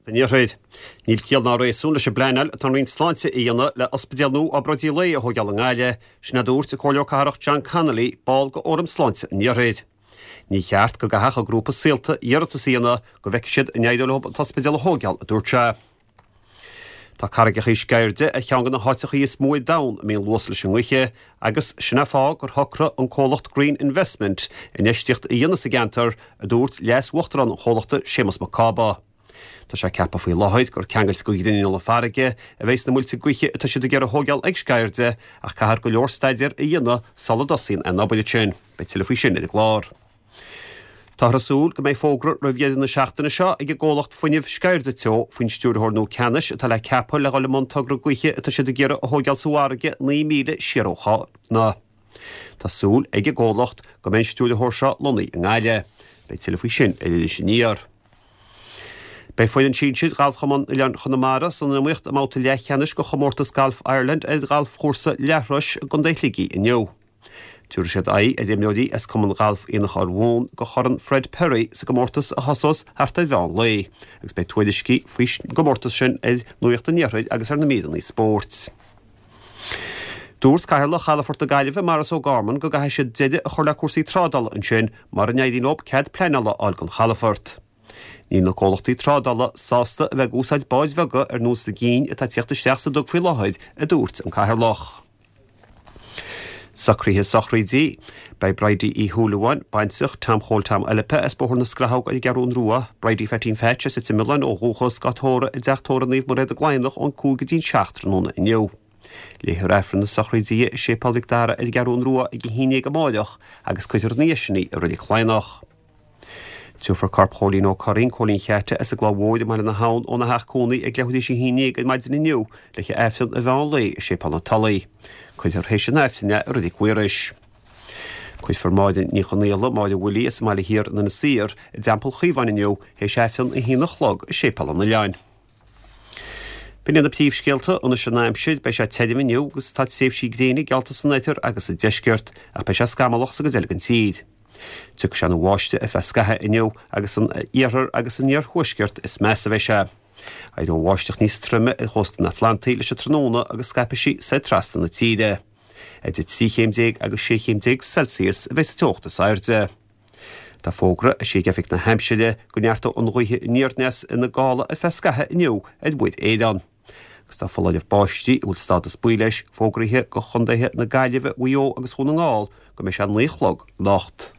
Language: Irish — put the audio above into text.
An Iarthair. Níl ciall ná réasún leis an bpleanáil atá an Roinn Sláinte a dhéanamh le ospidéal nua obráidí lae a thóigeáil i nGaillimh, sin a dúirt an Comhairleoir Cathrach John Connolly, ball de Fhóram Sláinte an Iarthair. Ní cheart go gcaithfeadh an grúpa Saolta iarratas a dhéanamh go bhfeicfidh siad an éireoidh leo an t-ospidéal a thóigeáil, a dúirt sé. Tá Carraigeacha Sceirde ar cheann de na háiteachaí is mó ar domhan a mbíonn luas leis an ngaoithe agus sin é fáth gur shocraigh an comhlacht Green Investment infheistíocht a dhéanamh sa gceantar, a dúirt leas-uachtarán an chomhlachta Séamus Mac Cába. Tá sé ceaptha faoi láthair gur ceangailte go ghrinneall na farraige a bheidhs na muilte gaoithe atá siad ag iarraidh a thóigeáil ag Sceirde ach caithfear go leor staidéar a dhéanamh sula dtosaíonn aon obair ansin. Beidh tuilleadh faoi sin ar an gclár. Táthar ag súil go mbeidh fógra roimh dheireadh na seachtaine seo ag an gcomhlacht fuinnimh Sceirde Teo faoin stiúrthóir nua ceannais atá le ceapadh le dhul i mbun togra gaoithe atá siad ag iarraidh a thóigeáil sa bhfarraige 9 míle siar ó Chárna. Tá súil ag an gcomhlacht go mbeidh an stiúrthóir seo lonnaithe i nGaillimh. Beidh tuilleadh faoi sin ar Iris Aniar. Beidh foireann sinsir Ghalfchumann Oileáin Chonamara san iomaíocht i mbabhta leathcheannais de chomórtas Galf Ireland ar ghalfchúrsa Leathrois i gContae Shligigh inniu. Tabharfaidh siad aghaidh ar imreoirí as Cumann Gailf Aonach Urmhumhan do Chorn Fred Perry sa gcomórtas a thosós thart ar mheán lae agus beidh tuairiscí faoin gcomórtas sin ar Nuacht an Iarthair agus ar na míreanna spóirt. Dúirt Cathaoirleach Chalafort na Gaillimhe, Maurice O'Gorman, go gcaithfidh siad deireadh a chur le cúrsaí trádála ansin mura n-éiríonn leo cead pleanála a fháil don chalafort. Níl na comhlachtaí trádála sásta a bheith ag úsáid báid bheaga ar nós na gcinn atá ag tíocht isteach sa duga faoi láthair, a dúirt an Cathaoirleach. Socruithe sochraide. Beidh Bridie Uí Shúilleabháin, baintreach Tom Chóil Tom Eilpe as Bóthar na Scrathóg ar an gCeathrún Rua, Bridie Pheaitín Pheaits as Leitir Mealláin ó dhúchas, dhá tórramh i dTeach Tórraimh Naomh Mairéad i gCladhnach ón 5 go dtí an 7 tráthnóna inniu. Léifear Aifreann na sochraide di i Séipéal Mhic Dara ar an gCeathrún Rua ag 11 amáireach agus cuirfear ina dhiaidh sin í i Reilig Chladhnach. Tabharfar corp Chóilín Ó Curraoin, Cóilín Cheaite, as an gCloich Mhóir i mBaile na hAbhann óna theach cónaí ag leathuair théis a haon dhéag ar maidin inniu le haghaidh Aifreann an mheán lae i Séipéal na Tulaí. Cuirfear théis an Aifrinn é i Reilig Mhaorais. Cuirfear Máire Ní Chonaola, Máire Willie, as an mBaile Thiar in Inis Oírr, i dTeampall Chaomháin inniu théis Aifreann a haon a chlog i Séipéal an Oileáin. B'in iad na príomhscéalta anois an aimsir, beidh sé tirim inniu agus tá tréimhsí gréine geallta san oirthear agus sa deisceart, ach beidh sé scamallach sa gcuid eile den tír. Tiocfaidh sé ina bháisteach ar feadh scaithimh inniu agus san iarthar agus san iarthuaisceart is measa a bheidh sé. Éireoidh an bháisteach níos troime ar chósta an Atlantaigh leis an tráthnóna agus scaipfidh sí soir trasna na tíre. Idir 13 chéim agus 16 chéim Celsius a bheidh sa teocht is airde. Tá fógra eisithe ag Oifig na hAimsire go neartóidh an ghaoth aniar-aneas ina gála ar feadh scaithimh inniu ar Mhuir Éireann. Agus tá foláireamh báistí, a bhfuil stádas buí leis, fógraithe do chontaetha na Gaillimhe, Mhaigh Eo agus Dhún na nGall go mbeidh sé a 9 a chlog anocht.